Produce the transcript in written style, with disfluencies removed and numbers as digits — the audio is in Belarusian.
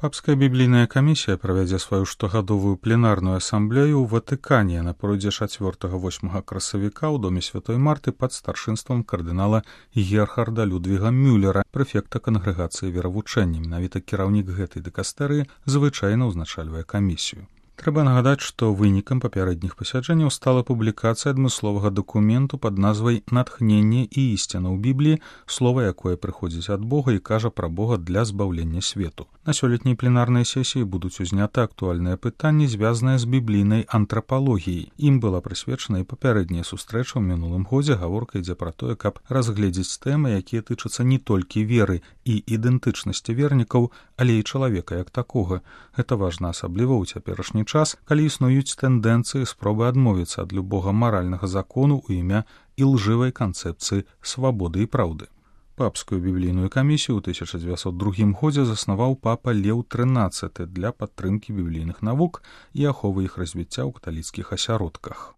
Папская біблійная камісія правядзе сваю штогадовую пленарную асамблею ў Ватыкане на пройдзе 4-8 красавіка ў доме Святой Марты пад старшынствам кардынала Герхарда Людвіга Мюллера, прэфекта кангрэгацыі веравучэння. Менавіта кіраўнік гэтай дыкастэрыі звычайна ўзначальвае камісію. Трэба нагадаць, што вынікам папярэдніх пасяджэнняў стала публікацыя адмысловага дакументу пад назвай «Натхненне і ісціна ў Бібліі», слова якое прыходзіць ад Бога і кажа пра Бога для збаўлення свету. На сёлетняй пленарнай сесіі будуць узняты актуальныя пытанні, звязаныя з біблійнай антрапалогіяй. Ім была прысвечана і папярэдняя сустрэча ў мінулым годзе. Гаворка ідзе пра тое, каб разгледзець тэмы, якія тычацца не толькі веры і ідэнтычнасці вернікаў, але і чалавека як такога. Гэта важна асабліва ў цяперашні час, калі існуюць тэндэнцыі спробы адмовіцца ад любога маральнага закону ў імя ілжывай канцэпцыі свабоды і праўды. Папскую біблійную камісію ў 1902 годзе заснаваў папа Леў XIII для падтрымкі біблійных навук і аховы іх развіцця ў каталіцкіх асяродках.